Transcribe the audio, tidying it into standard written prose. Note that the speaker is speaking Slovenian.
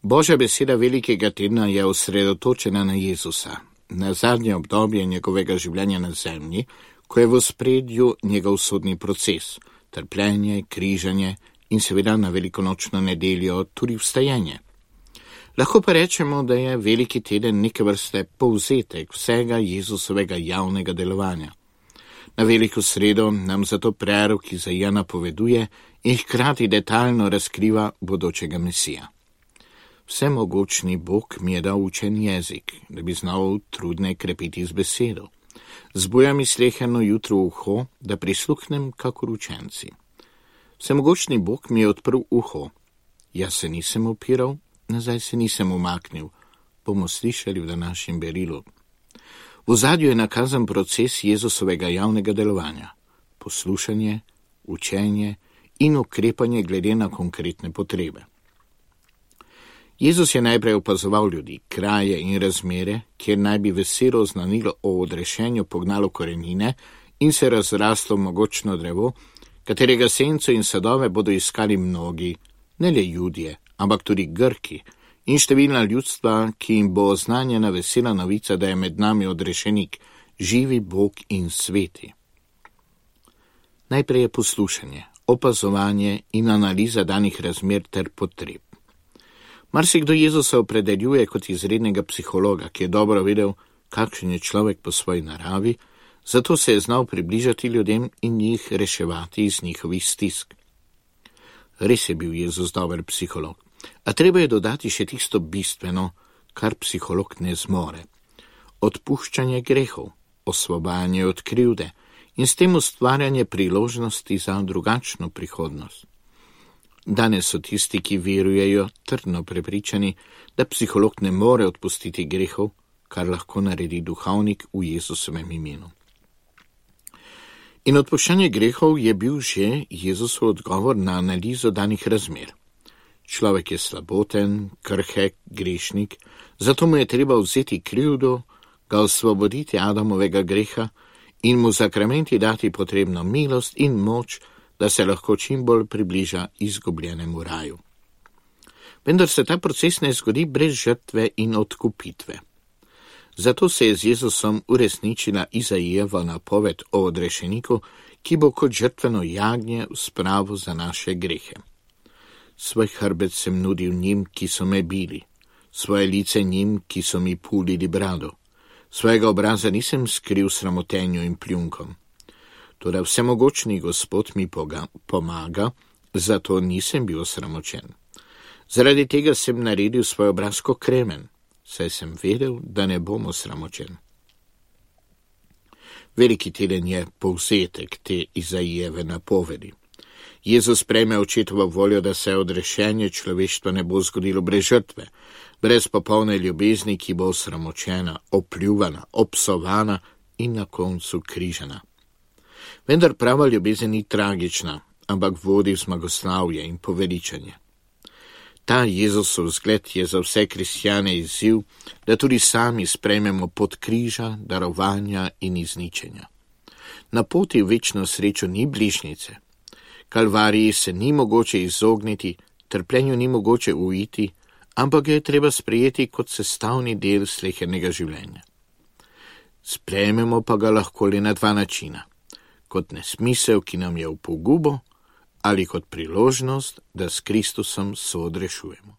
Božja beseda velikega tedna je osredotočena na Jezusa, na zadnje obdobje njegovega življenja na zemlji, ko je v ospredju njegov sodni proces, trpljenje, križanje in seveda na velikonočno nedeljo tudi vstajenje. Lahko pa rečemo, da je veliki teden neke vrste povzetek vsega Jezusovega javnega delovanja. Na veliko sredo nam zato prerok Izaija napoveduje in hkrati detaljno razkriva bodočega Mesija. Vsemogočni Bog mi je dal učen jezik, da bi znal trudne krepiti z besedo. Zbuja mi sleherno jutro uho, da prisluhnem kakor učenci. Vsemogočni Bog mi je odprl uho. Jaz se nisem upiral, nazaj se nisem umaknil. Bomo slišali v današnjem berilu. V ozadju je nakazan proces Jezusovega javnega delovanja. Poslušanje, učenje in ukrepanje glede na konkretne potrebe. Jezus je najprej opazoval ljudi, kraje in razmere, kjer naj bi veselo oznanilo o odrešenju pognalo korenine in se razraslo mogočno drevo, katerega senco in sadove bodo iskali mnogi, ne le Judje, ampak tudi Grki in številna ljudstva, ki jim bo oznanjena vesela novica, da je med nami odrešenik, živi Bog in sveti. Najprej je poslušanje, opazovanje in analiza danih razmer ter potreb. Marsikdo Jezusa opredeljuje kot izrednega psihologa, ki je dobro vedel, kakšen je človek po svoji naravi, zato se je znal približati ljudem in jih reševati iz njihovih stisk. Res je bil Jezus dober psiholog, a treba je dodati še tisto bistveno, kar psiholog ne zmore. Odpuščanje grehov, osvobajanje od krivde in s tem ustvarjanje priložnosti za drugačno prihodnost. Danes so tisti, ki verujejo, trdno prepričani, da psiholog ne more odpustiti grehov, kar lahko naredi duhovnik v Jezusovem imenu. In odpuščanje grehov je bil že Jezusov odgovor na analizo danih razmer. Človek je slaboten, krhek, grešnik, zato mu je treba vzeti krivdo, ga osvoboditi Adamovega greha in mu zakramenti dati potrebno milost in moč, da se lahko čim bolj približa izgubljenemu raju. Vendar se ta proces ne zgodi brez žrtve in odkupitve. Zato se je z Jezusom uresničila Izaijeva napoved o odrešeniku, ki bo kot žrtveno jagnje v spravo za naše grehe. Svoj hrbet sem nudil njim, ki so me bili, svoje lice njim, ki so mi pulili brado. Svojega obraza nisem skril sramotenju in pljunkom. Toda vsemogočni Gospod mi pomaga, zato nisem bil osramočen. Zaradi tega sem naredil svoj obraz kot kremen, saj sem vedel, da ne bom osramočen. Veliki teden je povzetek te Izaijeve napovedi. Jezus prejme očetovo voljo, da se odrešenje človeštva ne bo zgodilo brez žrtve, brez popolne ljubezni, ki bo osramočena, opljuvana, obsovana in na koncu križana. Vendar prava ljubezen ni tragična, ampak vodi v zmagoslavje in poveličanje. Ta Jezusov zgled je za vse kristjane izziv, da tudi sami sprejmemo pod križa, darovanja in izničenja. Na poti v večno srečo ni bližnjice. Kalvariji se ni mogoče izogniti, trpljenju ni mogoče uiti, ampak ga je treba sprejeti kot sestavni del slehernega življenja. Sprejmemo pa ga lahko le na dva načina. Kot nesmisel, ki nam je v pogubo, ali kot priložnost, da s Kristusom soodrešujemo.